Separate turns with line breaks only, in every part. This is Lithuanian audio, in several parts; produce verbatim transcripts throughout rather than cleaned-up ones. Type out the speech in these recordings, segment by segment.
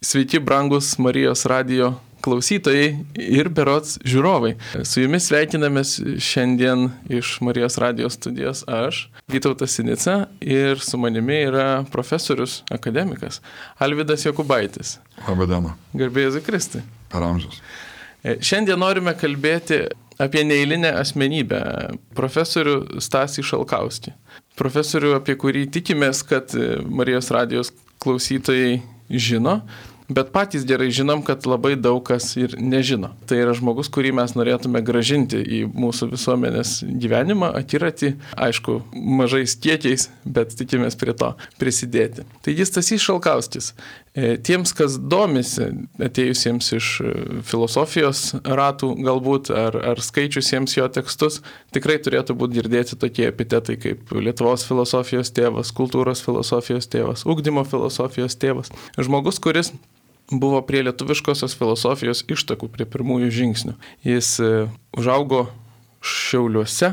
Sveiki, brangus Marijos radijo klausytojai ir berods žiūrovai. Su jumis sveikinamės šiandien iš Marijos radijos studijos aš, Vytautas Sinica, ir su manimi yra profesorius, akademikas Alvydas Jokubaitis.
Labą dieną.
Garbė Jėzui Kristui.
Per amžius.
Šiandien norime kalbėti apie neeilinę asmenybę, profesorių Stasį Šalkauskį. Profesorių, apie kurį tikimės, kad Marijos radijos klausytojai žino, bet patys gerai žinom, kad labai daug kas ir nežino. Tai yra žmogus, kurį mes norėtume grąžinti į mūsų visuomenės gyvenimą, akiratį, aišku, mažais kiekiais, bet tikimės prie to prisidėti. Taigi Stasys Šalkauskis. Tiems, kas domisi, atėjusiems iš filosofijos ratų galbūt, ar, ar skaičiusiems jo tekstus, tikrai turėtų būti girdėti tokie epitetai kaip Lietuvos filosofijos tėvas, kultūros filosofijos tėvas, ugdymo filosofijos tėvas. Žmogus, kuris buvo prie lietuviškosios filosofijos ištakų, prie pirmųjų žingsnių. Jis užaugo Šiauliuose,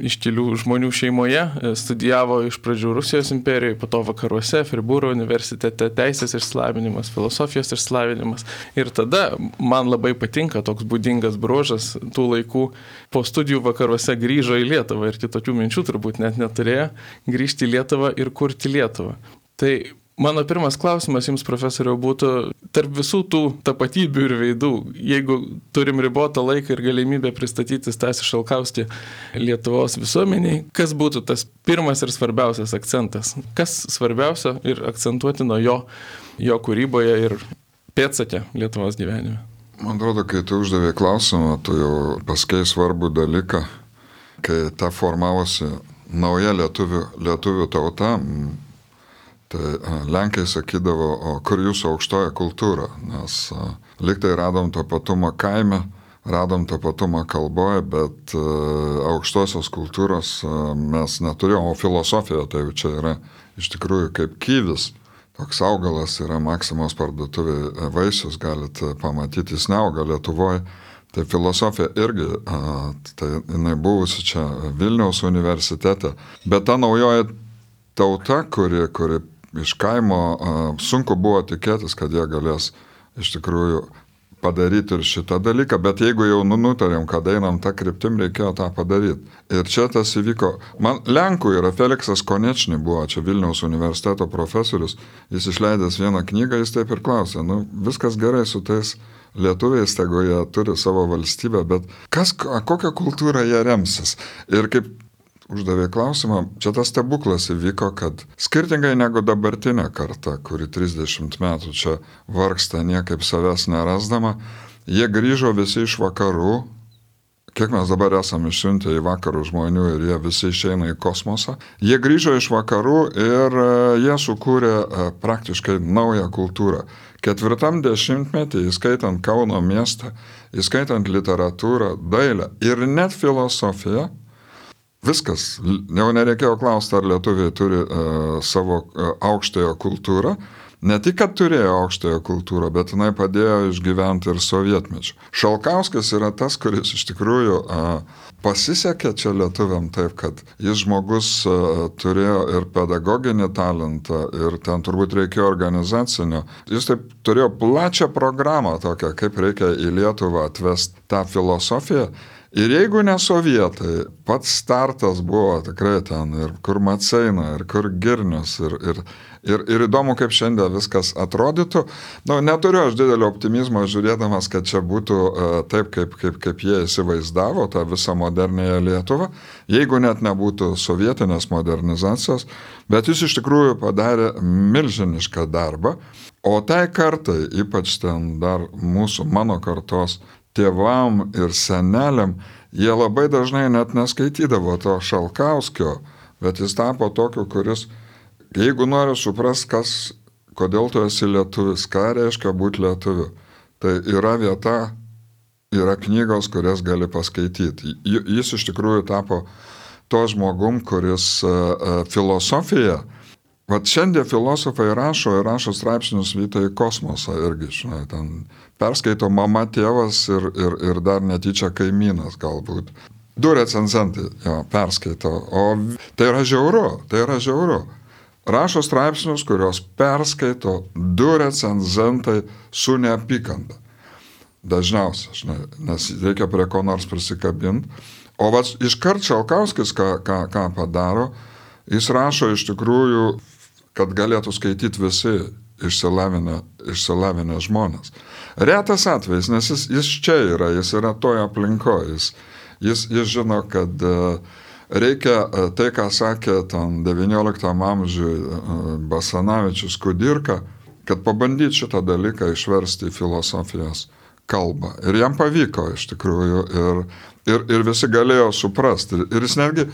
iškilių žmonių šeimoje, studijavo iš pradžių Rusijos imperijoje, po to vakaruose, Fribūro universitete, teisės išsilavinimas, filosofijos išsilavinimas. Ir tada man labai patinka toks būdingas bruožas tų laikų, po studijų vakaruose grįžo į Lietuvą ir kitokių minčių turbūt net neturėjo grįžti į Lietuvą ir kurti Lietuvą. Tai mano pirmas klausimas jums, profesoriau, būtų tarp visų tų tapatybių ir veidų, jeigu turim ribotą laiką ir galimybę pristatyti Stasį Šalkauskį Lietuvos visuomeniai, kas būtų tas pirmas ir svarbiausias akcentas? Kas svarbiausia ir akcentuotino jo, jo kūryboje ir pėdsake Lietuvos gyvenime?
Man atrodo, kai tu uždavė klausimą, tu jau pasakei svarbų dalyką, kai ta formavosi nauja lietuvių, lietuvių tauta. Tai Lenkai sakydavo, o kur jūsų aukštoja kultūra, nes liktai radom tapatumą kaime, radom tapatumą kalboje, bet aukštosios kultūros mes neturėjom, o filosofija tai čia yra iš tikrųjų kaip kyvis. Toks augalas yra Maksimos parduotuvėje vaisius, galite pamatyti, jis neauga Lietuvoje. Tai filosofija irgi, tai jinai buvusi čia Vilniaus universitete, bet ta naujoji tauta, kuri, kuri iš kaimo sunku buvo tikėtis, kad jie galės iš tikrųjų padaryti ir šitą dalyką, bet jeigu jau nutarėm, kad einam tą kryptim, reikėjo tą padaryti. Ir čia tas įvyko. Man Lenkų yra Feliksas Konečny buvo, čia Vilniaus universiteto profesorius, jis išleidęs vieną knygą, jis taip ir klausė, nu viskas gerai su tais lietuviais, tegu jie turi savo valstybę, bet kas, kokią kultūrą jie remsis? Ir kaip uždavė klausimą, čia tas stebuklas įvyko, kad skirtingai negu dabartinė karta, kuri trisdešimt metų čia vargsta niekaip savęs nerasdama, jie grįžo visi iš vakarų, kiek mes dabar esame išsiuntę į vakarų žmonių ir jie visi išeina į kosmosą, jie grįžo iš vakarų ir jie sukūrė praktiškai naują kultūrą. Ketvirtam dešimtmetį, įskaitant Kauno miestą, įskaitant literatūrą, dailę ir net filosofiją, viskas, jau nereikėjo klausti, ar lietuviai turi uh, savo uh, aukštąją kultūrą. Ne tik, kad turėjo aukštąją kultūrą, bet jinai padėjo išgyventi ir sovietmečiu. Šalkauskis yra tas, kuris iš tikrųjų uh, pasisekė čia lietuviam taip, kad jis žmogus uh, turėjo ir pedagoginį talentą, ir ten turbūt reikėjo organizacinio. Jis taip turėjo plačią programą tokią, kaip reikia į Lietuvą atvesti tą filosofiją. Ir jeigu ne sovietai, pats startas buvo tikrai ten, ir kur Maceina, ir kur Girnius, ir, ir, ir, ir įdomu, kaip šiandien viskas atrodytų. Nu, neturiu aš didelio optimizmo žiūrėdamas, kad čia būtų uh, taip, kaip, kaip, kaip jie įsivaizdavo tą visą modernėją Lietuvą, jeigu net nebūtų sovietinės modernizacijos, bet jis iš tikrųjų padarė milžinišką darbą, o tai kartai, ypač ten dar mūsų, mano kartos, tėvam ir seneliam, jie labai dažnai net neskaitydavo to Šalkauskio, bet jis tapo tokiu, kuris, jeigu nori suprast, kas, kodėl tu esi lietuvis, ką reiškia būti lietuviu, tai yra vieta, yra knygos, kurias gali paskaityti. Jis iš tikrųjų tapo to žmogum, kuris uh, filosofiją, vat šiandien filosofai rašo ir rašo straipsnius vyta į kosmosą irgi, žinai, ten perskaito mama, tėvas ir, ir, ir dar netyčia kaimynas galbūt. Du recenzentai jo, perskaito, o tai yra žiauru, tai yra žiauru. rašo straipsnius, kurios perskaito du recenzentai su neapykanta. Dažniausiai, žinai, nes reikia prie ko nors prisikabinti. O va, iškart Šalkauskis, ką, ką, ką padaro, jis rašo iš tikrųjų, kad galėtų skaityti visi išsilavinę, išsilavinę žmonės. Retas atvejis, nes jis, jis čia yra, jis yra toje aplinkoje, jis, jis, jis žino, kad reikia tai, ką sakė ten devynioliktam amžiui Basanavičius Kudirka, kad pabandyti šitą dalyką išversti į filosofijos kalbą. Ir jam pavyko iš tikrųjų ir, ir, ir visi galėjo suprasti. Ir, ir jis netgi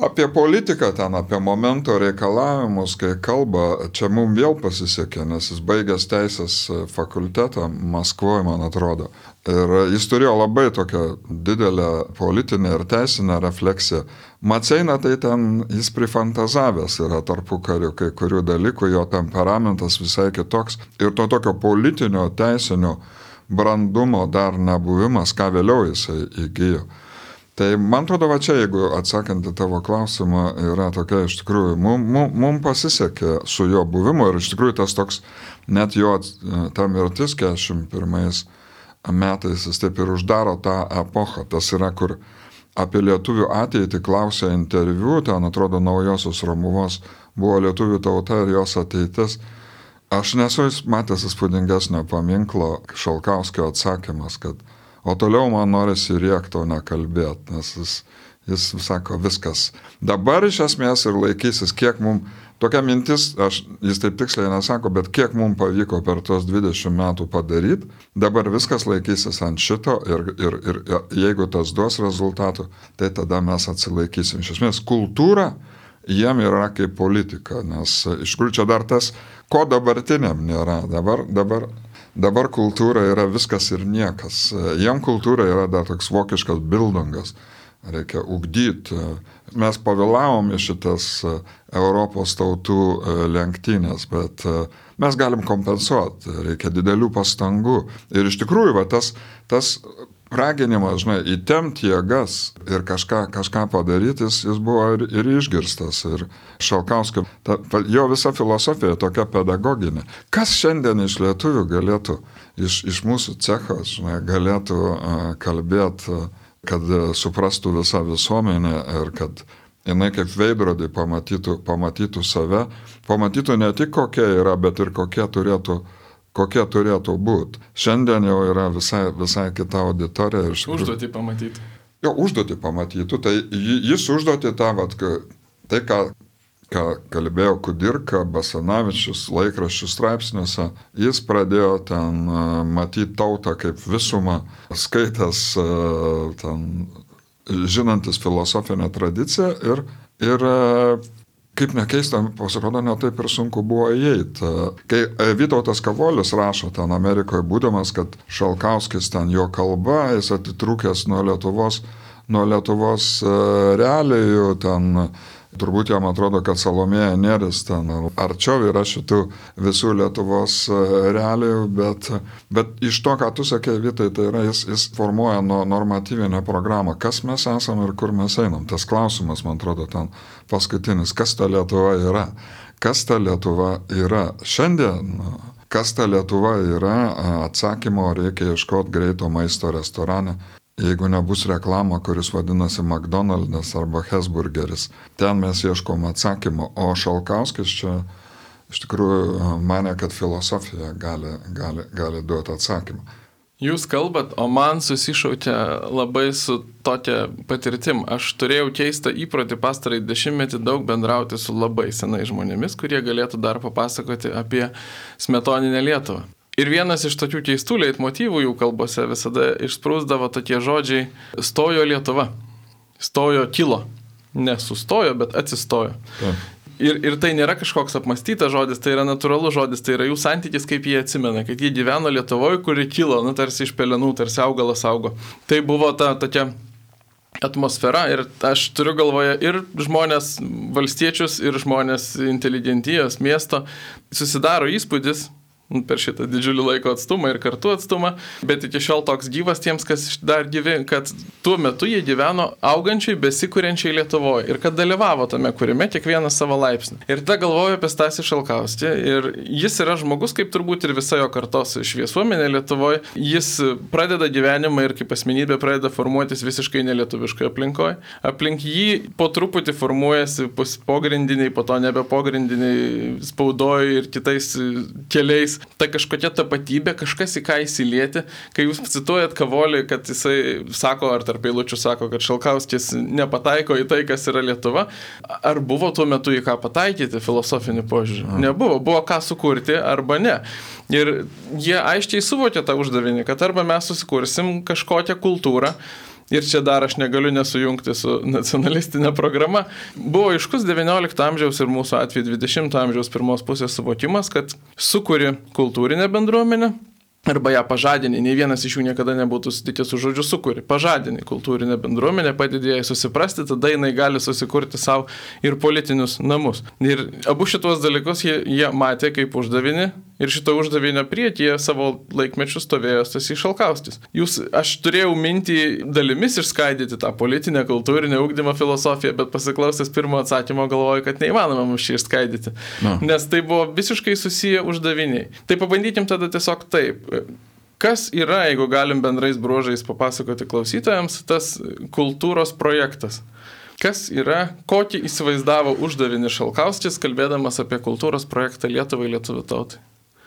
apie politiką ten, apie momento reikalavimus, kai kalba, čia mums vėl pasisekė, nes jis baigęs teisės fakultetą Maskvoje, man atrodo. Ir jis turėjo labai tokią didelę politinę ir teisinę refleksiją. Maceina tai ten jis prifantazavęs yra tarpukariu kai kurių dalykų, jo temperamentas visai kitoks. Ir to tokio politinio, teisinio brandumo dar nebuvimas, ką vėliau jisai įgyjo. Tai man atrodo, va čia, jeigu atsakant į tavo klausimą, yra tokia iš tikrųjų, mum, mum, mum pasisekė su jo buvimu ir iš tikrųjų tas toks, net jo ta mirtis keturiasdešimt pirmais metais, jis taip ir uždaro tą epochą. Tas yra, kur apie lietuvių ateitį klausė interviu, ten atrodo Naujosios Romuvos buvo lietuvių tauta ir jos ateitis. Aš nesu matęs įspūdingesnio paminklo Šalkauskio atsakymas, kad o toliau man norisi rėkti, o nekalbėti, nes jis, jis sako viskas. Dabar iš esmės ir laikysis, kiek mums, tokia mintis, aš, jis taip tiksliai nesako, bet kiek mums pavyko per tos dvidešimt metų padaryti, dabar viskas laikysis ant šito ir, ir, ir jeigu tas duos rezultatų, tai tada mes atsilaikysim. Iš esmės, kultūra jiem yra kaip politika, nes iš kur čia dar tas, ko dabartiniam nėra. Dabar, dabar, dabar kultūra yra viskas ir niekas. Jiem kultūra yra dar toks vokiškas bildungas. Reikia ugdyti. Mes pavėlavom į šitas Europos tautų lenktynės, bet mes galim kompensuoti. Reikia didelių pastangų. Ir iš tikrųjų, va, tas, tas raginimas, žinai, įtempt jėgas ir kažką, kažką padaryti, jis, jis buvo ir, ir išgirstas. Ir Šalkauskio, ta, jo visa filosofija tokia pedagoginė. Kas šiandien iš lietuvių galėtų, iš, iš mūsų cecho, žinai, galėtų uh, kalbėti, uh, kad uh, suprastų visą visuomenę ir kad jinai kaip veidrodį pamatytų, pamatytų save, pamatytų ne tik kokia yra, bet ir kokie turėtų kokie turėtų būti. Šiandien jau yra visai, visai kita auditorija.
Užduotį pamatytų.
Jo, užduotį pamatytų. Tai jis užduotį tą, vat, tai ką, ką kalbėjo Kudirka, Basanavičius laikraščių straipsniuose, jis pradėjo ten matyti tautą kaip visumą, skaitęs ten, žinantis filosofinę tradiciją ir, ir kaip nekeista, pasirodo, ne taip ir sunku buvo įeiti. Kai Vytautas Kavolis rašo ten Amerikoje būdamas, kad Šalkauskis ten jo kalba, jis atitrūkęs nuo Lietuvos, nuo Lietuvos realijų, ten turbūt jam atrodo, kad Salomėja Nėris ten arčiau yra šitų visų Lietuvos realijų, bet, bet iš to, ką tu sakė, Vytai, tai yra, jis, jis formuoja no, normatyvinę programą, kas mes esame ir kur mes einam. Tas klausimas, man atrodo, ten paskutinis, kas ta Lietuva yra. Kas ta Lietuva yra šiandien? Kas ta Lietuva yra? Atsakymo reikia ieškoti greito maisto restorane. Jeigu nebus reklama, kuris vadinasi McDonald's arba Hesburgeris, ten mes ieškom atsakymo. O Šalkauskis čia iš tikrųjų mane, kad filosofija gali, gali, gali duoti atsakymą.
Jūs kalbat, o man susišaukia labai su tokia patirtim. Aš turėjau keistą įprotį pastarąjį dešimtmetį daug bendrauti su labai senai žmonėmis, kurie galėtų dar papasakoti apie smetoninę Lietuvą. Ir vienas iš tokių keistų leitmotyvų jų kalbose visada išsprūsdavo tokie žodžiai stojo Lietuva. Stojo kilo. Nesustojo, bet atsistojo. Ja. Ir, ir tai nėra kažkoks apmastytas žodis, tai yra natūralus žodis, tai yra jų santykis, kaip jie atsimena, kad jie gyveno Lietuvoje, kuri kilo, nu, tarsi iš pelenų, tarsi augalas augo. Tai buvo ta tokia atmosfera ir aš turiu galvoje ir žmonės valstiečius, ir žmonės inteligentijos miesto. Susidaro įspūdis, per šitą didžiulį laiko atstumą ir kartu atstumą, bet iki šiol toks gyvas tiems, kas dar gyvi, kad tuo metu jie gyveno augančiai, besikuriančiai Lietuvoje ir kad dalyvavo tame kūrime kiekvieną savo laipsnį. Ir tada galvoju apie Stasį Šalkauskį ir jis yra žmogus, kaip turbūt ir visa jo kartos šviesuomenė Lietuvoje. Jis pradeda gyvenimą ir kaip asmenybė pradeda formuotis visiškai nelietuviškoje aplinkoje. Aplink jį po truputį formuojasi pogrindiniai, po to nebe pogrindiniai spaudoje ir kitais keliais. Ta kažkokia tapatybė, kažkas į ką įsilieti. Kai jūs cituojat Kavolį, kad jisai sako, ar tarp eilučių sako, kad Šalkauskis nepataiko į tai, kas yra Lietuva, ar buvo tuo metu į ką pataikyti filosofinį požiūrį? Nebuvo. Buvo ką sukurti arba ne. Ir jie aiškiai suvokė tą uždavinį, kad arba mes susikursim kažkokią kultūrą, ir čia dar aš negaliu nesujungti su nacionalistinė programa, buvo aiškus devyniolikto amžiaus ir mūsų atveju dvidešimto amžiaus pirmos pusės suvokimas, kad sukuri kultūrinę bendruomenę, arba ją pažadini, nei vienas iš jų niekada nebūtų sutikęs su žodžiu sukuri. Pažadini kultūrinę bendruomenę, padedi jai susiprasti, tada jinai gali susikurti savo ir politinius namus. Ir abu šitos dalykus jie, jie matė kaip uždavinį ir šito uždavinio priekyje savo laikmečių stovėjo Stasys Šalkauskis. Jūs, aš turėjau mintį dalimis išskaidyti tą politinę, kultūrinę ugdymo filosofiją, bet pasiklausęs pirmo atsakymo galvoju, kad neįmanoma mums šį išskaidyti. No. Nes tai buvo visiškai susiję uždaviniai. Tai pabandykim tada tiesiog taip. Kas yra, jeigu galim bendrais bruožais papasakoti klausytojams, tas kultūros projektas? Kas yra, kokį įsivaizdavo uždavinį Šalkauskis, kalbėdamas apie kultūros projektą Lietuvai, lietuvių tautai?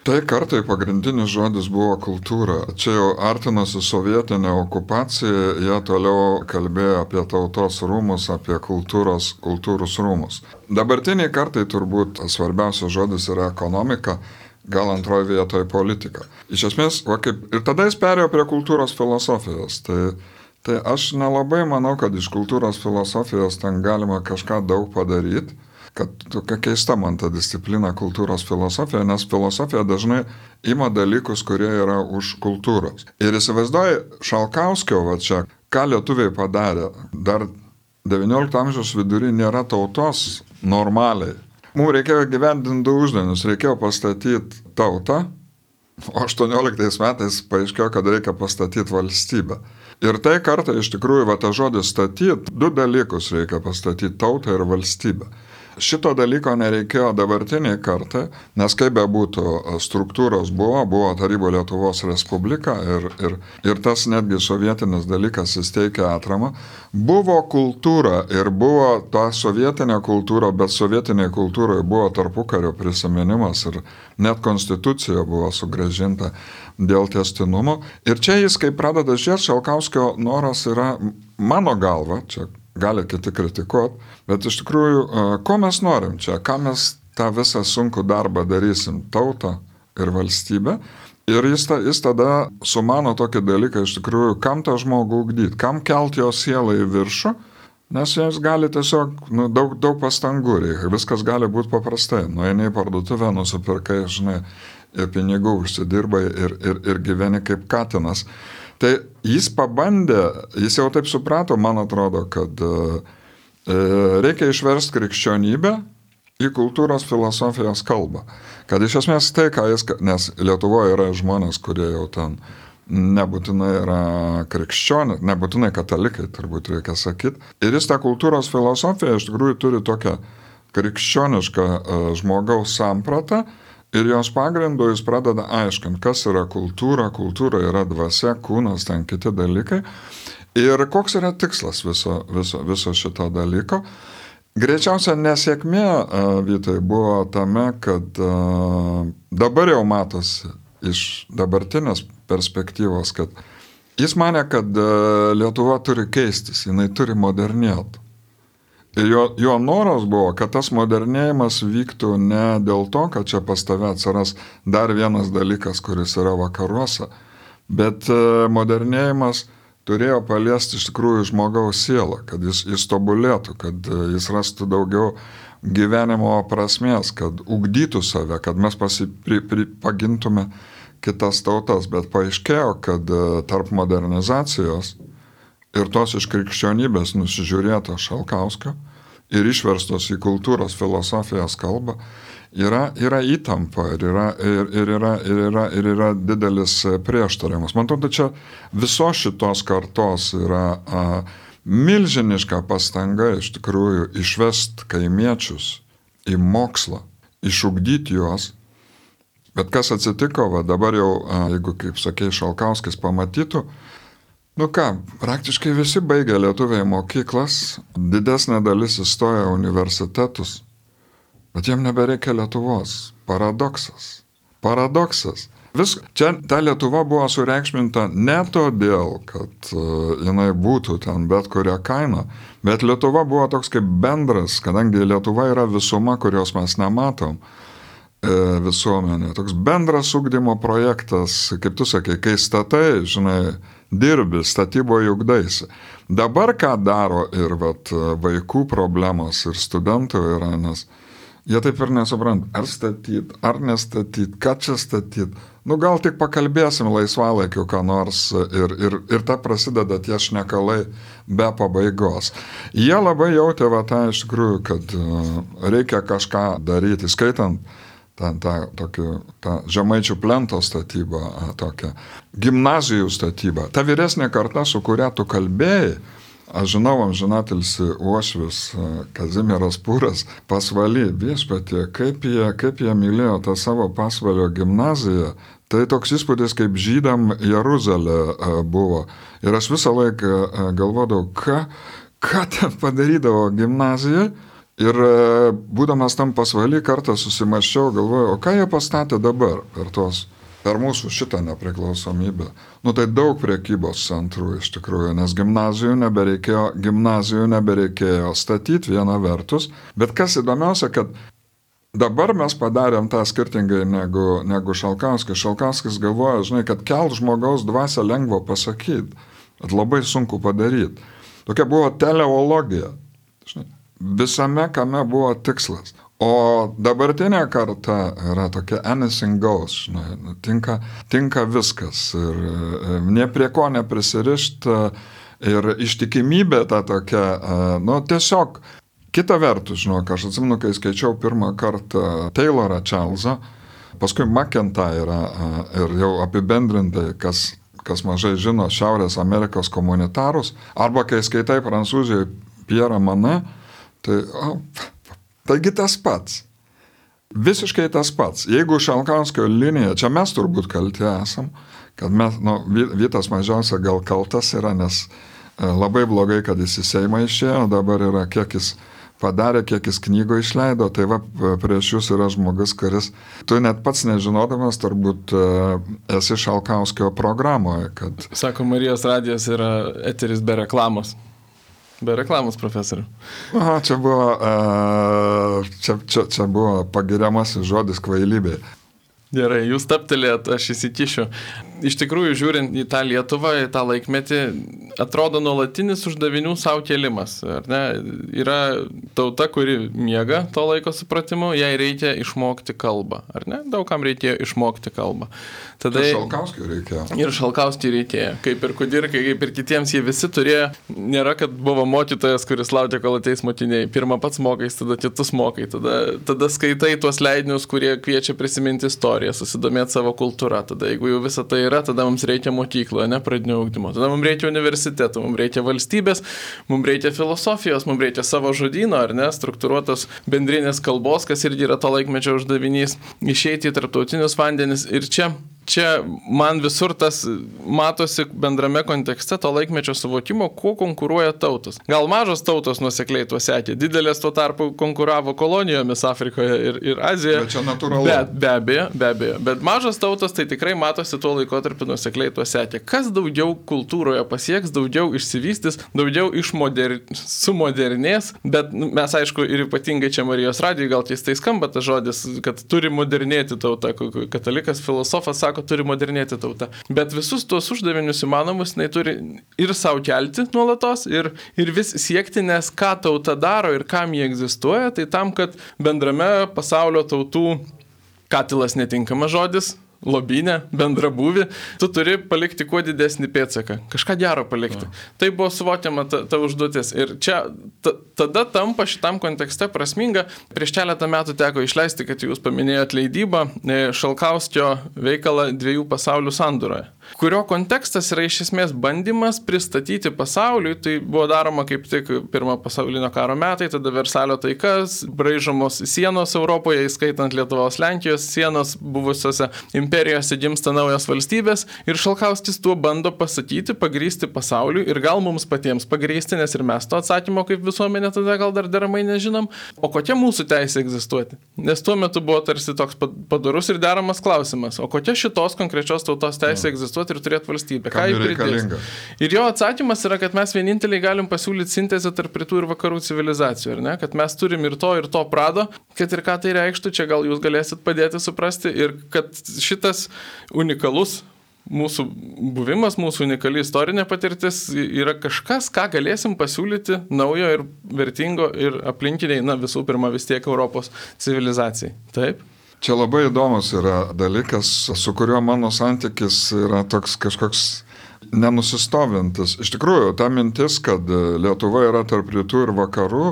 Tai kartai pagrindinis žodis buvo kultūra. Čia jau artinosi sovietinė okupacija, jie toliau kalbėjo apie tautos rūmus, apie kultūros, kultūros rūmus. Dabartiniai kartai turbūt svarbiausias žodis yra ekonomika, gal antroje vietoje politika. Iš esmės, va kaip, ir tada jis perėjo prie kultūros filosofijos. Tai, tai aš nelabai manau, kad iš kultūros filosofijos ten galima kažką daug padaryti. Kad tokia keista man ta disciplina kultūros filosofija, nes filosofija dažnai ima dalykus, kurie yra už kultūros. Ir įsivaizduoji Šalkauskio, va čia, ką lietuviai padarė, dar devyniolikto amžiaus vidury nėra tautos normaliai. Mums reikėjo gyvendinti du uždavinius, reikėjo pastatyti tautą, o aštuonioliktais metais paaiškėjo, kad reikia pastatyti valstybę. Ir tai kartą iš tikrųjų, va ta žodis statyti, du dalykus reikia pastatyti - tautą ir valstybę. Šito dalyko nereikėjo dabartiniai kartai, nes kaip be būtų struktūros buvo, buvo Tarybų Lietuvos Respublika ir, ir, ir tas netgi sovietinis dalykas įsteigė atramą. Buvo kultūra ir buvo ta sovietinė kultūra, bet sovietiniai kultūrai buvo tarpukario prisiminimas ir net konstitucija buvo sugrąžinta dėl tęstinumo. Ir čia jis, kai pradeda žiūrėti, Šalkauskio noras yra mano galva, čia gali kiti kritikuoti, bet iš tikrųjų, ko mes norim čia, ką mes tą visą sunkų darbą darysim, tautą ir valstybę. Ir jis, ta, jis tada sumano tokį dalyką, iš tikrųjų, kam tą žmogų ugdyti, kam kelt jo sielą į viršų, nes jis gali tiesiog, nu, daug, daug pastangų reikia, viskas gali būti paprastai. Nueini į parduotuvę, nusipirkai, žinai, ir pinigų užsidirbai ir, ir, ir gyveni kaip katinas. Tai jis pabandė, jis jau taip suprato, man atrodo, kad e, reikia išversti krikščionybę į kultūros filosofijos kalbą. Kad iš esmės tai, ką jis, nes Lietuvoje yra žmonės, kurie jau ten nebūtinai yra krikščionys, nebūtinai katalikai, turbūt reikia sakyti. Ir jis tą kultūros filosofiją iš tikrųjų turi tokią krikščionišką e, žmogaus sampratą. Ir jos pagrindu jis pradeda aiškinti, kas yra kultūra, kultūra yra dvasia, kūnas, ten kiti dalykai. Ir koks yra tikslas viso, viso, viso šito dalyko. Greičiausia nesėkmė, Vytai, buvo tame, kad dabar jau matosi iš dabartinės perspektyvos, kad jis manė, kad Lietuva turi keistis, jinai turi modernėti. Ir jo, jo noras buvo, kad tas modernėjimas vyktų ne dėl to, kad čia pas tave atsiras dar vienas dalykas, kuris yra vakaruose, bet modernėjimas turėjo paliesti iš tikrųjų žmogaus sielą, kad jis, jis tobulėtų, kad jis rastų daugiau gyvenimo prasmės, kad ugdytų save, kad mes pasipri, pri, pagintume kitas tautas, bet paaiškėjo, kad tarp modernizacijos ir tos iš krikščionybės nusižiūrėto Šalkauskio ir išverstos į kultūros filosofijos kalbą, yra, yra įtampa ir yra, ir, ir, yra, ir, yra, ir yra didelis prieštaravimas. Man atrodo, čia visos šitos kartos yra a, milžiniška pastanga iš tikrųjų išvest kaimiečius į mokslą, išugdyti juos. Bet kas atsitiko, va dabar jau, jeigu, kaip sakė, Šalkauskis pamatytų, nu ką, praktiškai visi baigė lietuviai mokyklas, didesnė dalis įstoja universitetus, bet jiem nebereikia Lietuvos. Paradoksas. Paradoksas. Vis, čia ta Lietuva buvo sureikšminta ne todėl, kad uh, jinai būtų ten bet kuria kaina, bet Lietuva buvo toks kaip bendras, kadangi Lietuva yra visuma, kurios mes nematom, visuomenė. Toks bendras ugdymo projektas, kaip tu sakai, kai statai, žinai, dirbi, statybo ugdaisi. Dabar ką daro ir vat, vaikų problemos ir studentų yra, nes jie taip ir nesupranta, ar statyt, ar nestatyt, ką čia statyt. Nu gal tik pakalbėsim laisvalaikiu, ką nors ir, ir, ir ta prasideda tie šnekalai be pabaigos. Jie labai jautė va tą iš tikrųjų, kad reikia kažką daryti, skaitant tą, tą, tokį, tą žemaičių plento statybą, tokią gimnazijų statybą. Ta vyresnė karta, su kuria tu kalbėjai, aš žinau, amžinatilsi uošvis Kazimieras Pūras, Pasvaly, viešpatie, kaip jie, kaip jie mylėjo tą savo Pasvalio gimnaziją, tai toks įspūdis, kaip žydam Jeruzalė buvo. Ir aš visą laiką galvodavau, ką, ką ten padarydavo gimnazijai. Ir būdamas tam Pasvaly kartą susimaščiau, galvoju, o ką jie pastatė dabar per, tos, per mūsų šitą nepriklausomybę. Nu tai daug prekybos centrų iš tikrųjų, nes gimnazijų nebereikėjo, gimnazijų nebereikėjo statyti viena vertus. Bet kas įdomiausia, kad dabar mes padarėm tą skirtingai negu, negu Šalkauskis. Šalkauskis galvoja, žinai, kad kelt žmogaus dvasią lengva pasakyti, bet labai sunku padaryti. Tokia buvo teleologija, žinai. Visame, kame buvo tikslas. O dabartinė karta yra tokia anything goes, žinai, tinka, tinka viskas ir ne prie ko neprisirišti ir ištikimybė ta tokia, nu tiesiog, kita vertus, žinok, aš atsimenu, kai skaičiau pirmą kartą Taylorą Charlesą, paskui McIntyrą ir jau apibendrintai, kas, kas mažai žino, Šiaurės Amerikos komunitarus, arba kai skaitai Prancūzijoje Pierre Manet, tai, o, taigi tas pats. Visiškai tas pats. Jeigu Šalkauskio linija, čia mes turbūt kalti esam, kad mes, nu, Vytas mažiausia gal kaltas yra, nes labai blogai, kad jis į Seimą išėjo, dabar yra kiek jis padarė, kiek jis knygų išleido, tai va, prieš jūs yra žmogus, kuris, tu net pats nežinodamas, turbūt esi Šalkauskio programoje, kad...
Sako, Marijos radijas yra eteris be reklamos. Be reklamos, profesoriu.
Aha, čia buvo, čia, čia, čia buvo pagiriamasis žodis kvailybė.
Gerai, jūs taptelėt, aš įsikišiu. Iš tikrųjų, žiūrint į tą Lietuvą, į tą laikmetį, atrodo nuolatinis uždavinių savo kėlimas. Ar ne? Yra tauta, kuri miega to laiko supratimu, jai reikia išmokti kalbą. Ar ne? Daugam reikėjo išmokti kalbą. Tada...
Ir Šalkauskiui reikėjo.
Ir Šalkauskiui reikėjo. Kaip ir Kudirkai, kaip ir kitiems, jie visi turėjo. Nėra, kad buvo mokytojas, kuris laukia, kol ateis mokiniai. Pirmą pats mokais, tada kitus mokai. Tada, tada skaitai tuos leidinius, kurie kviečia prisiminti istoriją, susidomėti savo kultūrą. Tada, jeigu jau visą tai yra, tada mums reikia mokyklo, ne pradinio ugdymo. Tada mums reikia universiteto, mums reikia valstybės, mums reikia filosofijos, mums reikia savo žodyno, ar ne, struktūruotos bendrinės kalbos, kas irgi yra to laikmečio uždavinys, išeiti į tarptautinius vandenis. Ir čia Čia man visur tas matosi bendrame kontekste to laikmečio suvokimo, kuo konkuruoja tautos. Gal mažos tautos nuosekliai tuo sekė, didelės tuo tarpu konkuravo kolonijomis Afrikoje ir, ir Azijoje.
Bet čia natūralu.
Bet, be abejo, be abejo. Bet mažos tautos tai tikrai matosi tuo laikotarpiu nuosekliai tuo sekė. Kas daugiau kultūroje pasieks, daugiau išsivystys, daugiau išmoder... sumodernės, bet nu, mes aišku ir ypatingai čia Marijos radijui gal keistai skamba tas žodis, kad turi modernėti tauta. Katalikas filosofas sako, turi modernėti tauta. Bet visus tuos uždavinius įmanomus jinai turi ir savo kelti nuolatos, ir, ir vis siekti, nes ką tauta daro ir kam jie egzistuoja, tai tam, kad bendrame pasaulio tautų katilas netinkamas žodis, lobynę, bendrabūvį, tu turi palikti kuo didesnį pėdsaką, kažką gero palikti. Ja. Tai buvo suvokiama ta, ta užduotis. Ir čia ta, tada tampa šitam kontekste prasminga. Prieš keletą metų teko išleisti, kad jūs paminėjot leidybą, Šalkauskio veikalą Dviejų pasaulių sandūroje, kurio kontekstas yra iš esmės bandymas pristatyti pasauliui. Tai buvo daroma kaip tik pirmo pasaulinio karo metai, tada Versalio taikas, braižomos sienos Europoje, įskaitant Lietuvos, Lenkijos sienos, buvusiose imperijose gimsta naujos valstybės ir Šalkauskis tuo bando pasakyti, pagrįsti pasauliui ir gal mums patiems pagrįsti, nes ir mes to atsakymo kaip visuomenė tada gal dar deramai nežinom, o kokia mūsų teisė egzistuoti. Nes tuo metu buvo tarsi toks padarus ir deramas klausimas, o kokia šitos konkrečios tautos teisė egzistuoti ir turėti valstybę. Ką jį pridės? Ir jo atsakymas yra, kad mes vieninteliai galim pasiūlyti sintezę tarp rytų ir vakarų civilizacijų, ar ne? Kad mes turim ir to, ir to prado, kad ir ką tai reikštų, čia gal jūs galėsit padėti suprasti ir kad šitas unikalus mūsų buvimas, mūsų unikali istorinė patirtis yra kažkas, ką galėsim pasiūlyti naujo ir vertingo ir aplinkiniai, na visų pirma vis tiek Europos civilizacijai. Taip?
Čia labai įdomus yra dalykas, su kuriuo mano santykis yra toks kažkoks nenusistovintis. Iš tikrųjų, ta mintis, kad Lietuva yra tarp rytų ir vakarų,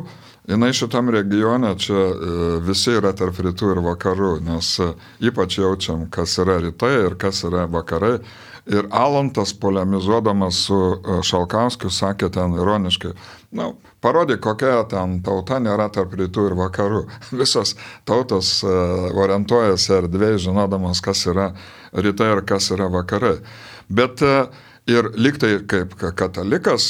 jinai šitam regione čia visi yra tarp rytų ir vakarų, nes ypač jaučiam, kas yra rytai ir kas yra vakarai. Ir Alantas, polemizuodamas su Šalkauskiu, sakė ten ironiškai, na, parodyk, kokia ten tauta nėra tarp rytų ir vakarų. Visos tautos orientuojasi erdvėj, žinodamas, kas yra rytai ir kas yra vakarai. Bet ir lygtai kaip katalikas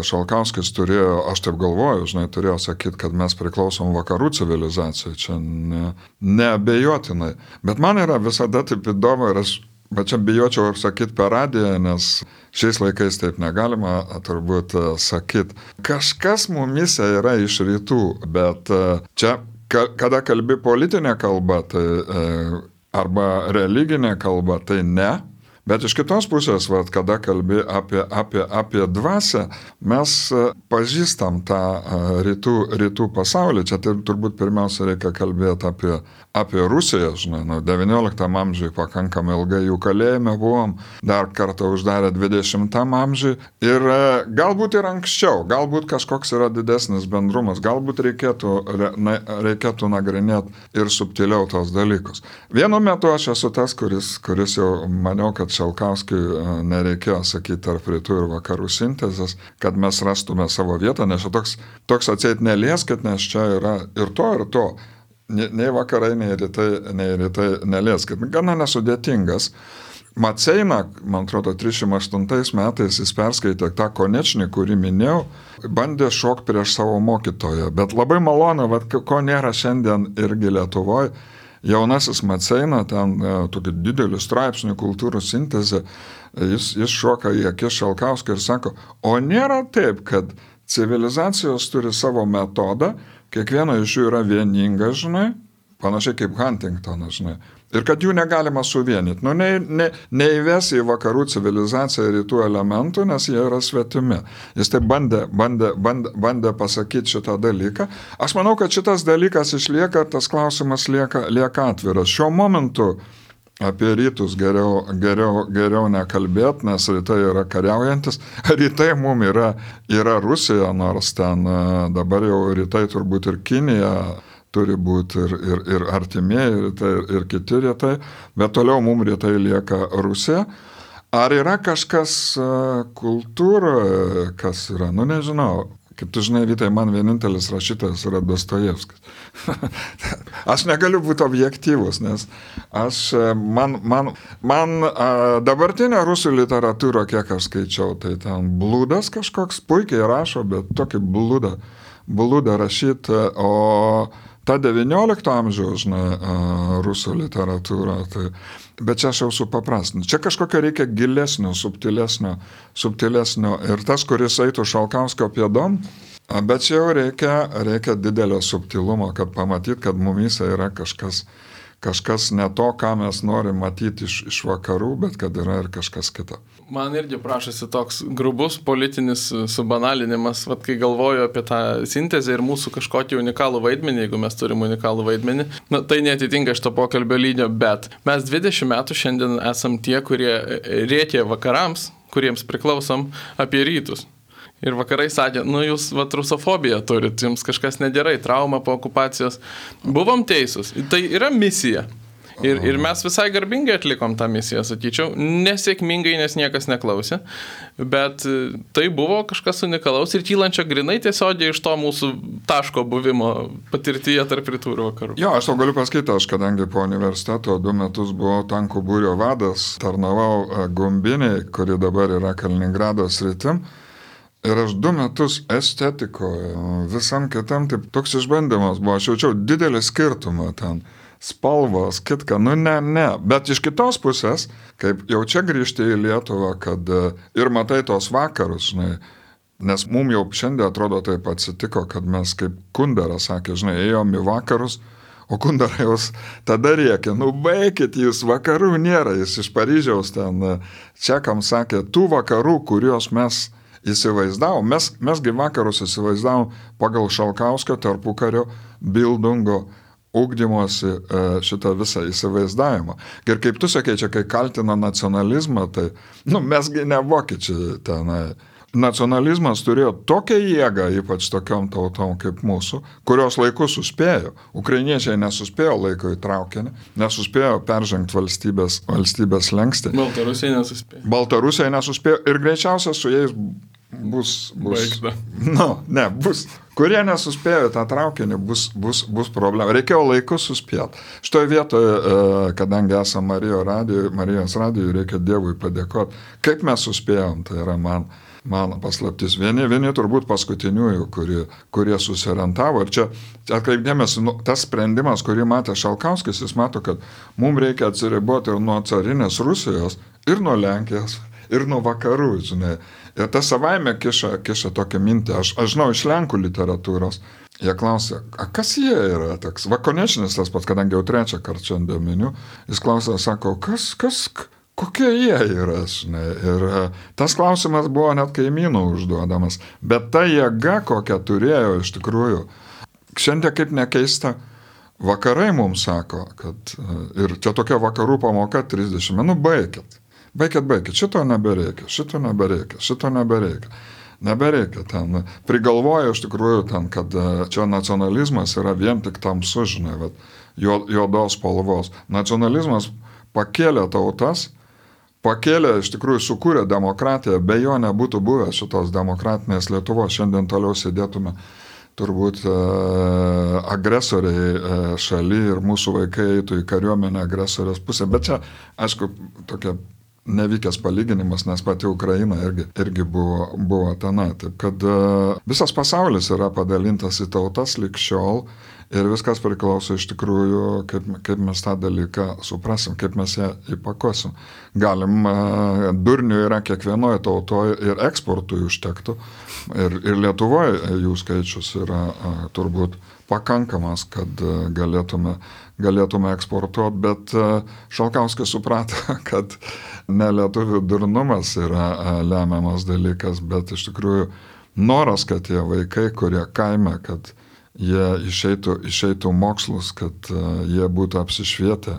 Šalkauskis turėjo, aš taip galvoju, žinai, turėjo sakyti, kad mes priklausom vakarų civilizacijai, čia ne, neabejotinai. Bet man yra visada taip įdomu ir aš Bet čia bijočiau sakyti per radiją, nes šiais laikais taip negalima turbūt sakyti. Kažkas mumise yra iš rytų, bet čia, kada kalbi politinė kalba, tai, arba religinė kalba, tai ne. Bet iš kitos pusės, vat, kada kalbi apie, apie, apie dvasią, mes pažįstam tą rytų, rytų pasaulį. Čia tai, turbūt pirmiausia reikia kalbėti apie, apie Rusiją. Žinai, nu, devynioliktam amžiui pakankamai ilgai jų kalėjime buvom, dar kartą uždarė dvidešimtam amžiui. Ir galbūt ir anksčiau, galbūt kažkoks yra didesnis bendrumas, galbūt reikėtų, re, reikėtų nagrinėti ir subtiliau tos dalykus. Vienu metu aš esu tas, kuris, kuris jau maniau, kad Šalkauskiui nereikėjo sakyti tarp rytų ir vakarų sintezės, kad mes rastume savo vietą, nes čia toks, toks atseit nelieskit, nes čia yra ir to, ir to. Nei vakarai, nei rytai, nei rytai nelieskit. Gana nesudėtingas. Maceina, man atrodo, trisdešimt aštuntais metais jis perskaitė tą Konečnį, kurį minėjau, bandė šokti prieš savo mokytoją. Bet labai malonu, vat, ko nėra šiandien irgi Lietuvoje. Jaunasis Maceina, ten tokį didelį straipsnių kultūrų sintezę, jis, jis šoka į akis Šalkauskį ir sako, o nėra taip, kad civilizacijos turi savo metodą, kiekviena iš jų yra vieninga, žinai, panašiai kaip Huntingtonas, žinai, ir kad jų negalima suvienyti. Nu, ne, ne, neįves į vakarų civilizaciją rytų elementų, nes jie yra svetimi. Jis taip bandė, bandė, bandė, bandė pasakyti šitą dalyką. Aš manau, kad šitas dalykas išlieka, tas klausimas lieka, lieka atviras. Šiuo momentu apie rytus geriau, geriau, geriau nekalbėti, nes rytai yra kariaujantis. Rytai mum yra, yra Rusija, nors ten dabar jau rytai turbūt ir Kinija turi būti ir, ir, ir artimieji rytai, ir, ir kiti rytai, bet toliau mums rytai lieka Rusija. Ar yra kažkas kultūroje, kas yra, nu nežinau, kaip tu žinai, Vytai, man vienintelis rašytojas yra Dostojevskis. Aš negaliu būti objektyvus, nes aš, man, man, man dabartinė rusų literatūra, kiek aš skaičiau, tai ten blūdas kažkoks, puikiai rašo, bet tokį blūdą, blūdą rašyti, o ta devyniolikto amžiaus, žinai, rusų literatūra, tai, bet čia aš jau supaprastinu. Čia kažkokio reikia gilesnio, subtilesnio, subtilesnio ir tas, kuris eitų Šalkauskio pėdom, bet čia jau reikia, reikia didelio subtilumo, kad pamatyt, kad mumyse yra kažkas, kažkas ne to, ką mes norim matyti iš, iš vakarų, bet kad yra ir kažkas kita.
Man irgi prašosi toks grubus politinis subanalinimas, vat, kai galvoju apie tą sintezę ir mūsų kažkokį unikalų vaidmenį, jeigu mes turim unikalų vaidmenį, na, tai netitinka šito pokalbio lygio, bet mes dvidešimt metų šiandien esam tie, kurie rėkė vakarams, kuriems priklausom, apie rytus. Ir vakarai sakė, nu jūs vat rusofobiją turit, jums kažkas negerai, trauma po okupacijos. Buvom teisūs, tai yra misija. Ir, ir mes visai garbingai atlikom tą misiją, sakyčiau, nesėkmingai, nes niekas neklausė, bet tai buvo kažkas unikalaus ir kylančio grinai tiesiogiai iš to mūsų taško buvimo patirtyje tarp rytų ir vakarų.
Jo, aš tau galiu pasakyti, aš kadangi po universiteto du metus buvau tankų būrio vadas, tarnavau Gumbiniai, kuri dabar yra Kaliningrado sritim, ir aš du metus estetikoje, visam kitam, taip toks išbandymas buvo, aš jaučiau didelį skirtumą ten. Spalvos, kitka, nu ne, ne, bet iš kitos pusės, kaip jau čia grįžti į Lietuvą, kad ir matai tos vakarus, žinai, nes mums jau šiandien atrodo taip atsitiko, kad mes kaip Kundera sakė, žinai, ėjom į vakarus, o Kundera jūs tada rėkė, nu baikit jūs, vakarų nėra, jis iš Paryžiaus ten čekam sakė, tų vakarų, kuriuos mes įsivaizdavom, mes, mesgi vakarus įsivaizdavom pagal Šalkauskio tarpukario Bildungo ugdymosi šitą visą įsivaizdavimą. Ir kaip tu sakei, čia kai kaltina nacionalizmą, tai, nu, mesgi ne vokiečiai tenai. Nacionalizmas turėjo tokią jėgą, ypač tokiom tautom kaip mūsų, kurios laiku suspėjo. Ukrainiečiai nesuspėjo laiko į traukinį, nesuspėjo peržengti valstybės, valstybės lengstį.
Baltarusiai nesuspėjo.
Baltarusiai nesuspėjo ir greičiausiai su jais bus... bus
Baigta.
Nu, ne, bus... Kurie nesuspėjo tą traukinį, bus, bus, bus problema. Reikėjo laiku suspėti. Šitoje vietoje, kadangi esame Marijos radijoje, Marijos radijoje, reikia Dievui padėkoti. Kaip mes suspėjom, tai yra man, man paslaptis. Vieni, vieni turbūt paskutiniųjų, kurie, kurie susirentavo. Ir čia atkreipdėmės, nu, tas sprendimas, kurį matė Šalkauskis, jis mato, kad mums reikia atsiriboti ir nuo carinės Rusijos, ir nuo Lenkijos, ir nuo vakarų, žinai. Ir tas savaime kiša, kiša tokią mintį. Aš, aš žinau iš Lenkų literatūros. Jie klausia, a kas jie yra toks? Va, Konečnis tas pats, kadangi jau trečią kartą šiandien miniu, jis klausia, sako, kas, kas, kokie jie yra, žinai. Ir tas klausimas buvo net kaimynų užduodamas. Bet ta jėga, kokią turėjo iš tikrųjų, šiandien kaip nekeista, vakarai mums sako, kad ir čia tokia vakarų pamoka trisdešimt, nu baikit. Baikit, baikit, šito nebereikia, šito nebereikia, šito nebereikia. Nebereikia ten. Prigalvoja iš tikrųjų ten, kad čia nacionalizmas yra vien tik tamsu, žinai, vat, juodos spalvos. Nacionalizmas pakėlė tautas, pakėlė, iš tikrųjų sukūrė demokratiją, be jo nebūtų buvę šitos demokratinės Lietuvos. Šiandien toliau sėdėtume turbūt e, agresoriai e, šaly ir mūsų vaikai eitų į kariuomenę agresorės pusę. Bet čia, aišku, tokia nevykęs palyginimas, nes pati Ukraina irgi, irgi buvo, buvo tenai. Taip kad uh, visas pasaulis yra padalintas į tautas lig šiol ir viskas priklauso iš tikrųjų, kaip, kaip mes tą dalyką suprasim, kaip mes ją įpakosim. Galim, uh, durnių yra kiekvienoje tautoje ir eksportui užtektų. Ir, ir Lietuvoje jų skaičius yra uh, turbūt pakankamas, kad uh, galėtume, galėtume eksportuoti, bet uh, Šalkauskis suprato, kad ne lietuvių durnumas yra lemiamas dalykas, bet iš tikrųjų noras, kad tie vaikai, kurie kaime, kad jie išeitų, išeitų mokslus, kad jie būtų apsišvietę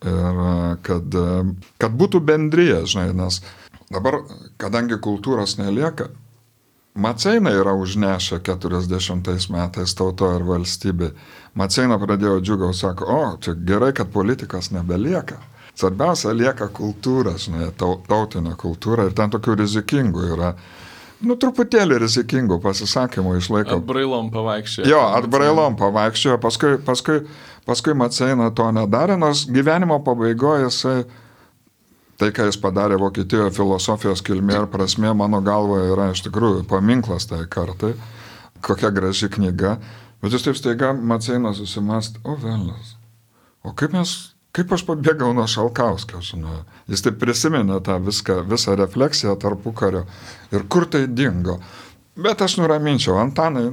ir kad, kad būtų bendrija, žinai, nes dabar, kadangi kultūros nelieka, Maceiną yra užnešę keturiasdešimtais metais tauto ir valstybė. Maceiną pradėjo džiugau, sako, o, čia gerai, kad politikas nebelieka. Svarbiausia lieka kultūra, žinai, tautinė kultūra ir ten tokių rizikingų yra, nu, truputėlį rizikingų pasisakymų išlaiko.
Atbrailom pavaikščiojo.
Jo, atbrailom pavaikščiojo, paskui, paskui, paskui Maceina to nedarė, nors gyvenimo pabaigoje jisai, tai, ką jis padarė Vokietijoje filosofijos kilmė ir prasmė, mano galvoje yra iš tikrųjų paminklas tai kartai, kokia graži knyga, bet jis taip staiga Maceina susimast, o velnas, o kaip mes... Kaip aš pabėgau nuo Šalkauskio, žinau. Jis taip prisiminė tą viską, visą refleksiją tarpukario ir kur tai dingo. Bet aš nuraminčiau, Antanai,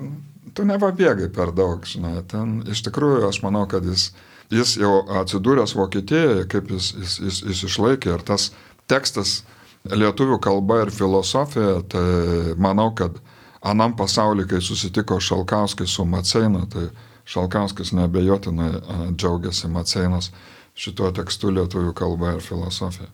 tu nepabėgai per daug, žinai. Ten iš tikrųjų aš manau, kad jis jis jau atsidūręs Vokietijoje, kaip jis, jis, jis, jis išlaikė ir tas tekstas lietuvių kalba ir filosofija, tai manau, kad anam pasaulyje, kai susitiko Šalkauskis su Maceina, tai Šalkauskis neabejotinai džiaugiasi Maceinos šituo tekstu lietuvių kalba ir filosofija.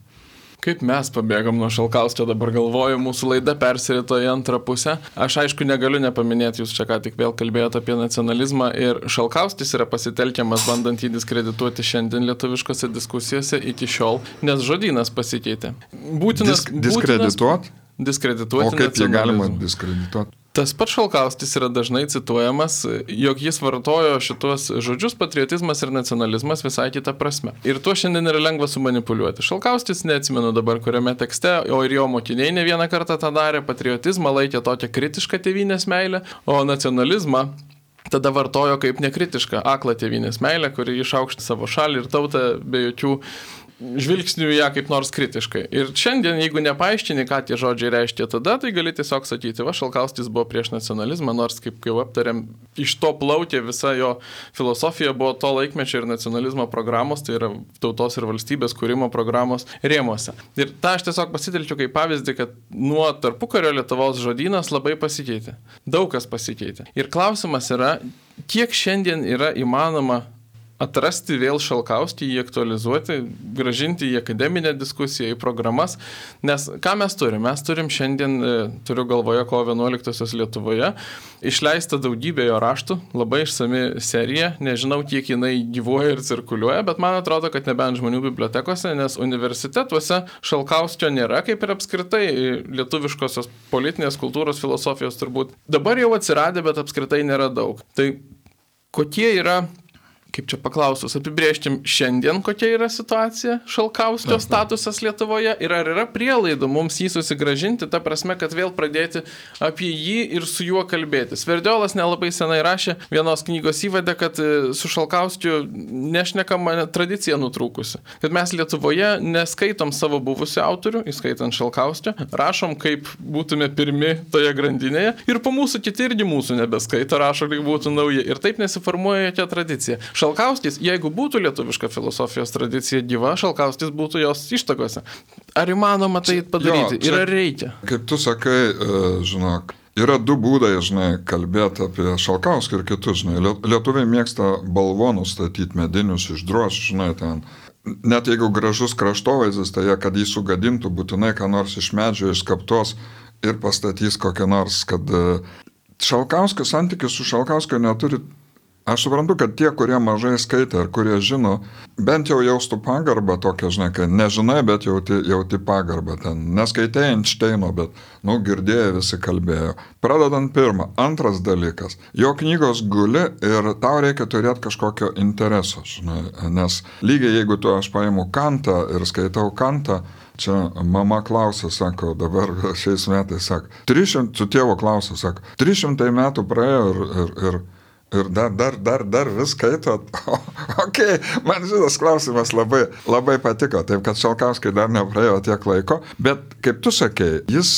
Kaip mes pabėgom nuo Šalkauskio, dabar galvoju, mūsų laida persirito į antrą pusę. Aš aišku negaliu nepaminėti, jūs čia ką tik vėl kalbėjote apie nacionalizmą ir Šalkauskis yra pasitelkiamas bandant jį diskredituoti šiandien lietuviškose diskusijose iki šiol, nes žodynas pasikeitė. Būtinas,
Disk, diskredituot?
Būtinas, diskredituoti.
O kaip jį galima diskredituoti?
Tas pats Šalkauskis yra dažnai cituojamas, jog jis vartojo šitos žodžius patriotizmas ir nacionalizmas visai kitą prasme. Ir tuo šiandien yra lengva sumanipuliuoti. Šalkauskis, neatsimenu dabar kuriame tekste, o ir jo mokiniai ne vieną kartą tą darė, patriotizmą laikė tokią kritišką tėvynės meilę, o nacionalizmą tada vartojo kaip nekritišką, aklą tėvynės meilę, kuri išaukština savo šalį ir tautą be jokių žvilgsnių ją kaip nors kritiškai. Ir šiandien, jeigu nepaaiškini, ką tie žodžiai reiškia tada, tai gali tiesiog sakyti, va, Šalkauskis buvo prieš nacionalizmą, nors, kaip jau aptarėm, iš to plaukė visa jo filosofija buvo to laikmečio ir nacionalizmo programos, tai yra tautos ir valstybės kūrimo programos rėmuose. Ir tą aš tiesiog pasitelkiu kaip pavyzdį, kad nuo tarpukario Lietuvos žodynas labai pasikeitė. Daug kas pasikeitė. Ir klausimas yra, kiek šiandien yra įmanoma atrasti vėl Šalkauskį, jį aktualizuoti, gražinti į akademinę diskusiją, į programas, nes ką mes turim? Mes turim šiandien, turiu galvoje, kovo vienuoliktosios Lietuvoje, išleista daugybė jo raštų, labai išsami serija, nežinau, kiek jinai gyvuoja ir cirkuliuoja, bet man atrodo, kad nebent žmonių bibliotekose, nes universitetuose Šalkauskio nėra, kaip ir apskritai lietuviškosios politinės kultūros filosofijos turbūt. Dabar jau atsiradė, bet apskritai nėra daug. Tai kokie yra, kaip čia paklausus, apibrėžtim šiandien, kokia yra situacija, Šalkauskio statusas Lietuvoje ir ar yra prielaidų mums jį susigražinti, ta prasme, kad vėl pradėti apie jį ir su juo kalbėti. Sverdiolas nelabai senai rašė vienos knygos įvadę, kad su Šalkauskiu nešnekama tradicija nutrūkusi. Kad mes Lietuvoje neskaitom savo buvusių autorių, įskaitant Šalkauskio, rašom, kaip būtume pirmi toje grandinėje ir po mūsų kiti irgi mūsų nebeskaito, rašo, kaip būtų nauji. Ir taip nesiformuoja jokia tradicija. Šalkauskis, jeigu būtų lietuviška filosofijos tradicija gyva, Šalkauskis būtų jos ištakose. Ar įmanoma tai padaryti? Jo, čia, ir ar reikia?
Kaip tu sakai, žinok, yra du būdai, žinai, kalbėti apie Šalkauskį ir kitus, žinai. Lietuviai mėgsta balvonus statyti medinius iš drožų, žinai, ten. Net jeigu gražus kraštovaizdis, tai jie, kad jį sugadintų, būtinai ką nors iš medžio išskaptos ir pastatys kokią nors, kad Šalkauskio santykis su Šalkauskio neturi. Aš suprantu, kad tie, kurie mažai skaitė ir kurie žino, bent jau jaustų pagarbą tokią, žinai, kad nežinai, bet jauti, jauti pagarbą ten. Neskaitė Einšteino, bet, nu, girdėjo, visi kalbėjo. Pradedant pirmą. Antras dalykas. Jo knygos guli ir tau reikia turėti kažkokio intereso, žinai, nes lygiai jeigu tu aš paimu Kantą ir skaitau Kantą, čia mama klausė, sako, dabar šiais metais, sako, tris šimtai, su tėvo klausė, sako, trys šimtai metų praėjo ir, ir, ir Ir dar, dar, dar, dar vis skaitot. Ok, man šitas klausimas labai, labai patiko, taip kad Šalkauskiui dar nepraėjo tiek laiko, bet kaip tu sakei, jis,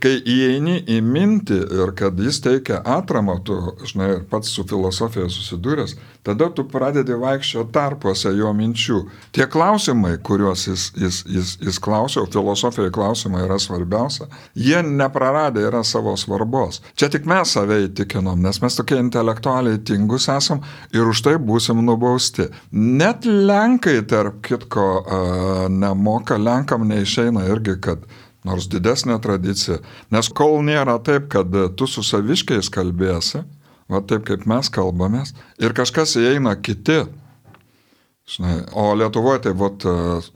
kai įeini į mintį ir kad jis teikia atramą, tu, žinai, pats su filosofija susidūręs, tada tu pradedi vaikščio tarpuose jo minčių. Tie klausimai, kuriuos jis, jis, jis, jis klausė, filosofijai klausimai yra svarbiausia, jie nepraradę yra savo svarbos. Čia tik mes save įtikinom, nes mes tokie intelektualiai tingus esam ir už tai būsim nubausti. Net Lenkai, tarp kitko, nemoka, Lenkam neišeina irgi, kad nors didesnė tradicija, nes kol nėra taip, kad tu su saviškiais kalbėsi, va taip kaip mes kalbamės, ir kažkas įeina kiti. Žinai, o Lietuvoje tai vat,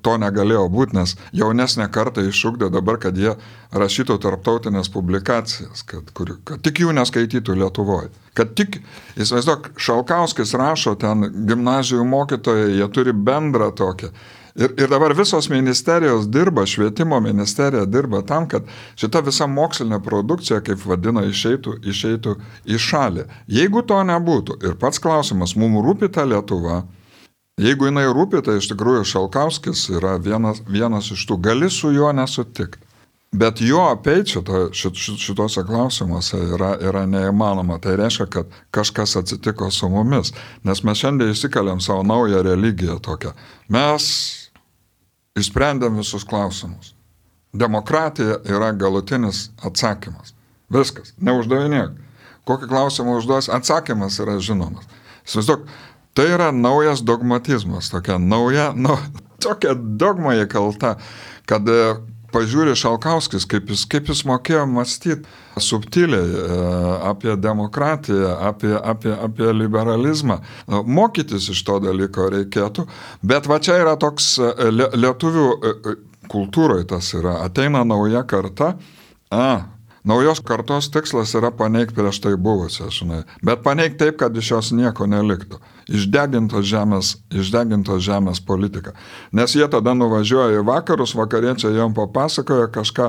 to negalėjo būti, nes jaunesnė karta iššūkdė dabar, kad jie rašytų tarptautinės publikacijas, kad, kur, kad tik jų neskaitytų Lietuvoje. Kad tik, įsivaizduok, Šalkauskis rašo ten gimnazijų mokytojai, jie turi bendrą tokią. Ir, ir dabar visos ministerijos dirba, švietimo ministerija dirba tam, kad šita visa mokslinė produkcija, kaip vadina, išeitų, išeitų į šalį. Jeigu to nebūtų, ir pats klausimas, mums rūpi ta Lietuva, jeigu jinai rūpi, tai iš tikrųjų Šalkauskis yra vienas, vienas iš tų, gali su juo nesutikti. Bet jo apeiti šito, šit, šitose klausimuose yra, yra neįmanoma. Tai reiškia, kad kažkas atsitiko su mumis. Nes mes šiandien įsikaliam savo naują religiją tokią. Mes išsprendėm visus klausimus. Demokratija yra galutinis atsakymas. Viskas. Neuždavinėk. Kokį klausimą užduos, atsakymas yra žinomas. Įsivaizduok, tai yra naujas dogmatizmas. Tokia nauja, nu, tokia dogma įkalta, kad pažiūrė Šalkauskis, kaip jis, kaip jis mokėjo mąstyti subtiliai apie demokratiją, apie, apie, apie liberalizmą. Mokytis iš to dalyko reikėtų, bet va čia yra toks lietuvių kultūroje tas yra. Ateina nauja karta, a, naujos kartos tikslas yra paneigti prieš tai buvusią, žinai, bet paneigti taip, kad iš jos nieko neliktų. Išdegintos žemės, išdegintos žemės politika. Nes jie tada nuvažiuoja į vakarus, vakariečiai jom papasakoja kažką.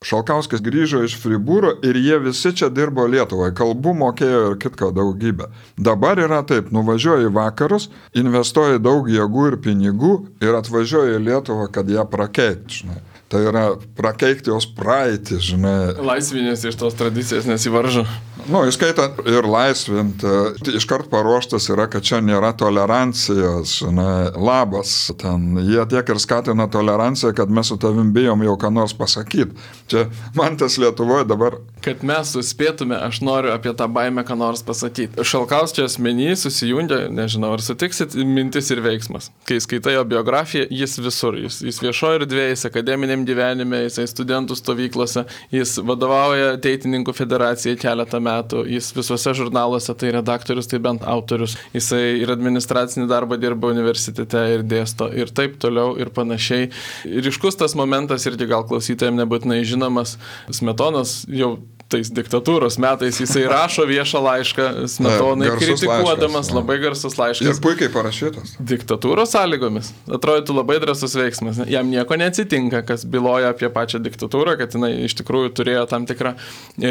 Šalkauskis grįžo iš Fribūro ir jie visi čia dirbo Lietuvai, kalbų mokėjo ir kitką daugybę. Dabar yra taip, nuvažiuoja į vakarus, investuoja daug jėgų ir pinigų ir atvažiuoja į Lietuvą, kad ją prakeikti, žinai. Tai yra prakeikti jos praeitį, žinai.
Laisvinės iš tos tradicijos nesivaržo.
Nu, įskaitant ir laisvinti, iškart paruoštas yra, kad čia nėra tolerancijos, žinai, labas. Ten jie tiek ir skatina toleranciją, kad mes su tavim bijom jau ką nors pasakyti. Čia man tas Lietuvoje dabar.
Kad mes suspėtume, aš noriu apie tą baimę ką nors pasakyti. Šalkauskio asmenį susijungia, nežinau, ar sutiksit, mintis ir veiksmas. Kai skaitai jo biografiją, jis visur. Jis, jis viešoje erdvėje, jis akademiniam gyvenime, jisai studentų stovyklose, jis vadovauja Teitininkų federacijai keletą metų, jis visuose žurnaluose tai redaktorius, tai bent autorius, jisai ir administracinį darbą dirba universitete ir dėsto ir taip toliau ir panašiai. Ryškus tas momentas irgi gal klausytojams nebūtinai žinomas, Smetonas jau tais diktatūros metais jisai rašo viešą laišką Smetonai, kritikuodamas, laiškas, labai garsus laiškas.
Ir puikiai parašytas.
Diktatūros sąlygomis. Atrodytų labai drąsus veiksmas. Jam nieko neatsitinka, kas byloja apie pačią diktatūrą, kad jinai iš tikrųjų turėjo tam tikrą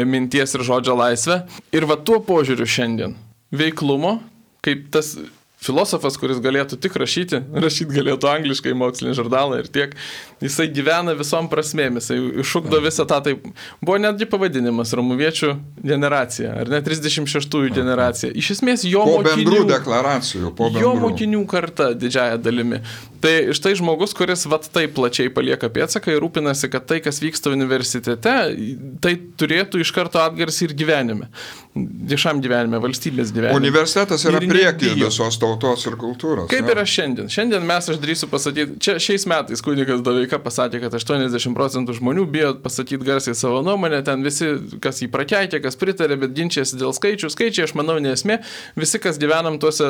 minties ir žodžio laisvę. Ir va tuo požiūriu šiandien veiklumo, kaip tas filosofas, kuris galėtų tik rašyti, rašyti galėtų angliškai mokslinį žurnalą ir tiek, jisai gyvena visom prasmėmis, jisai iššūkdo visą tą, tai buvo netgi pavadinimas Romuviečių generacija, ar ne trisdešimt šeštųjų generacija. Iš esmės jo
po
mokinių,
bendrų deklaracijų, po bendrų.
Jo mokinių karta didžiaja dalimi. Tai štai žmogus, kuris vat taip plačiai palieka pėdsaką ir rūpinasi, kad tai, kas vyksta universitete, tai turėtų iš karto atgarsį ir gyvenime. Viešam gyvenime, valstybės gyvenime.
Universitetas yra priekis visos tautos ir kultūros.
Kaip
ja.
yra šiandien? Šiandien mes, aš drįsiu pasakyti, čia šiais metais kunigas Doveika pasakė, kad aštuoniasdešimt procentų žmonių bijo pasakyti garsiai savo nuomonę, ten visi, kas jį prakeikė, kas pritarė, bet ginčiasi dėl skaičių. Skaičiai, aš manau, nesmė. Visi, kas gyvenam tuose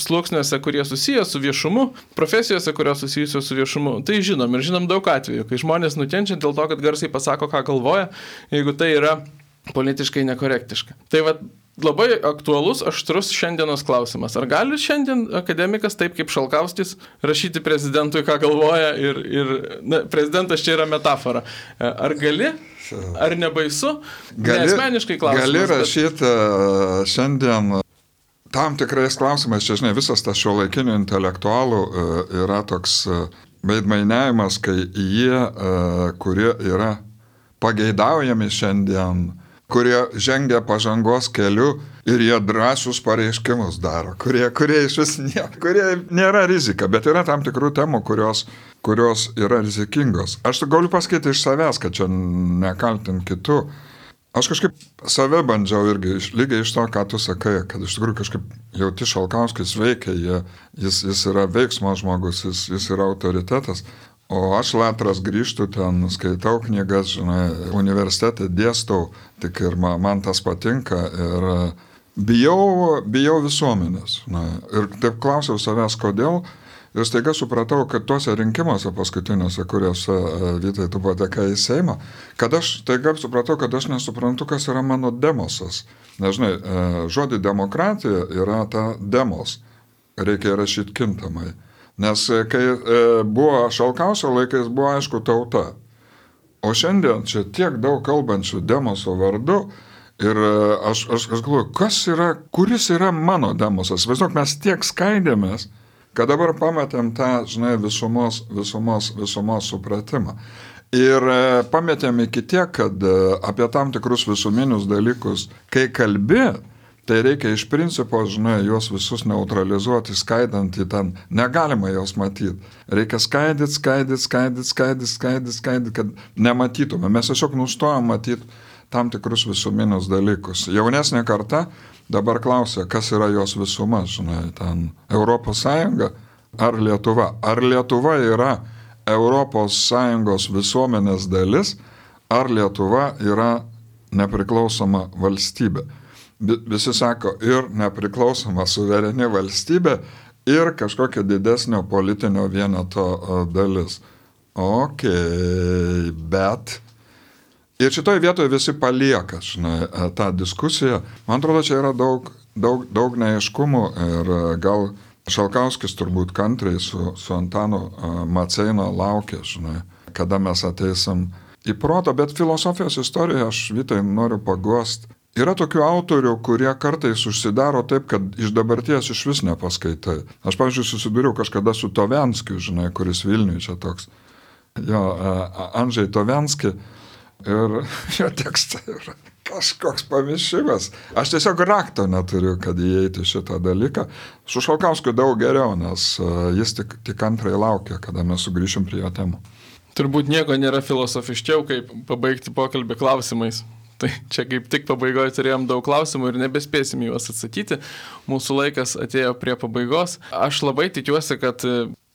sluoksniuose, kurie susiję su viešumu, profesijose, kurios susijusios su viešumu, tai žinom ir žinom daug atvejų, kai žmonės nukenčia dėl to, kad garsiai pasako, ką galvoja, jeigu tai yra politiškai nekorektiška. Tai va, labai aktualus, aštrus šiandienos klausimas. Ar gali šiandien akademikas, taip kaip Šalkauskis, rašyti prezidentui, ką galvoja ir, ir na, prezidentas čia yra metafora. Ar gali, ar nebaisu?
Gali,
Neasmeniškai klausimas.
Gali rašyti bet... šiandien tam tikrais klausimais, čia žinai, visas tas šiuolaikinių intelektualų yra toks veidmainiavimas, kai jie, kurie yra pageidaujami šiandien, kurie žengia pažangos keliu ir jie drąsius pareiškimus daro, kurie, kurie iš vis ne, kurie nėra rizika, bet yra tam tikrų temų, kurios, kurios yra rizikingos. Aš galiu pasakyti iš savęs, kad čia nekaltint kitų. Aš kažkaip save bandžiau irgi, lygiai iš to, ką tu sakai, kad iš tikrųjų kažkaip jauti Šalkauskis veikia, jie, jis, jis yra veiksmo žmogus, jis, jis yra autoritetas. O aš latras grįžtu ten, skaitau knygas, žinai, universitete dėstau, tik ir man, man tas patinka ir bijau, bijau visuomenės. Na, ir taip klausiau savęs, kodėl. Ir staiga supratau, kad tuose rinkimuose paskutiniuose, kuriuose Vytai tu patekai į Seimą, kad aš staiga supratau, kad aš nesuprantu, kas yra mano demosas. Nežinai, žodį demokratija yra ta demos. Reikia rašyti kintamai. Nes kai buvo Šalkauskio laikais, buvo aišku tauta. O šiandien čia tiek daug kalbančių demoso vardu ir aš, aš, aš galvoju, kas yra, kuris yra mano demosas. Vaizduok, mes tiek skaidėmės, kad dabar pamatėm tą, žinai, visumos, visumos, visumos supratimą. Ir pametėm iki tiek, kad apie tam tikrus visuminius dalykus, kai kalbi, tai reikia iš principo, žinai, juos visus neutralizuoti, skaidant į ten, negalima jos matyti. Reikia skaidyti, skaidyti, skaidyti, skaidyti, skaidyti, skaidyti, kad nematytume. Mes tiesiog nustojom matyti tam tikrus visuminius dalykus. Jaunesnė karta dabar klausia, kas yra jos visuma, žinai, ten Europos Sąjunga ar Lietuva. Ar Lietuva yra Europos Sąjungos visuomenės dalis, ar Lietuva yra nepriklausoma valstybė. Visi sako, ir nepriklausoma suvereni valstybė, ir kažkokia didesnio politinio vieneto dalis. Ok, bet... Ir šitoj vietoje visi palieka, žinai, tą diskusiją. Man atrodo, čia yra daug, daug, daug neaiškumų ir gal Šalkauskis turbūt kantriai su, su Antanu Maceina laukia, žinai, kada mes ateisim į protą, bet filosofijos istorijoje aš Vytai noriu paguost. Yra tokių autorių, kurie kartais užsidaro taip, kad iš dabarties iš vis nepaskaitai. Aš, pavyzdžiui, susidūriau kažkada su Tovenskiu, žinai, kuris Vilniuje čia toks. Jo, Andžej Tovenski ir jo tekstai yra kažkoks pamišimas. Aš tiesiog rakto neturiu, kad įeiti šitą dalyką. Su Šalkauskiu daug geriau, nes jis tik, tik antrai laukia, kada mes sugrįšim prie jo temų.
Turbūt nieko nėra filosofiškiau, kaip pabaigti pokalbį klausimais. Tai čia kaip tik pabaigoje turėjom daug klausimų ir nebespėsim juos atsakyti. Mūsų laikas atėjo prie pabaigos. Aš labai tikiuosi, kad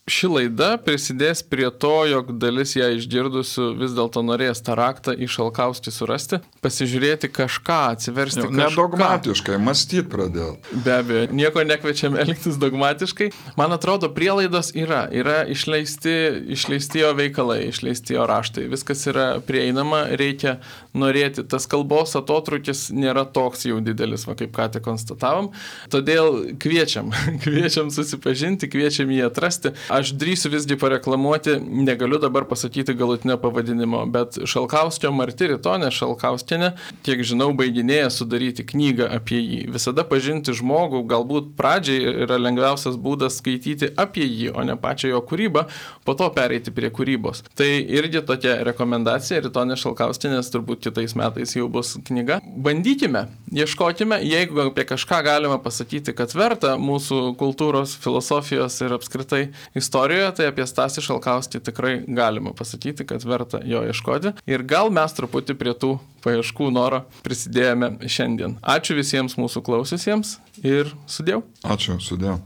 ši laida prisidės prie to, jog dalis ją išgirdusių vis dėlto norės tą raktą į Šalkauskį surasti, pasižiūrėti kažką, atsiversti kažką.
Nedogmatiškai, mąstyti pradėti.
Be abejo, nieko nekviečiam elgtis dogmatiškai. Man atrodo, prielaidos yra. Yra išleisti, išleisti jo veikalai, išleisti jo raštai. Viskas yra prieinama, reikia norėti. Tas kalbos atotrūkis nėra toks jau didelis, va, kaip ką tik konstatavom. Todėl kviečiam, kviečiam susipažinti, kviečiam jį atrasti. Aš drįsiu visgi pareklamuoti, negaliu dabar pasakyti galutinio pavadinimo, bet Šalkauskio Marti Ritonė Šalkauskienė, kiek žinau, baiginėja sudaryti knygą apie jį. Visada pažinti žmogų, galbūt pradžiai yra lengviausias būdas skaityti apie jį, o ne pačią jo kūrybą, po to pereiti prie kūrybos. Tai irgi tokia rekomendacija, Ritonė Šalkauskienės turbūt kitais metais jau bus knyga. Bandykime, ieškokime, jeigu apie kažką galima pasakyti, kad verta mūsų kultūros, filosofijos ir apskritai istorijoje, tai apie Stasį Šalkauskį tikrai galima pasakyti, kad verta jo ieškoti. Ir gal mes truputį prie tų paieškų noro prisidėjome šiandien. Ačiū visiems mūsų klausiusiems ir sudėjau.
Ačiū, sudėjau.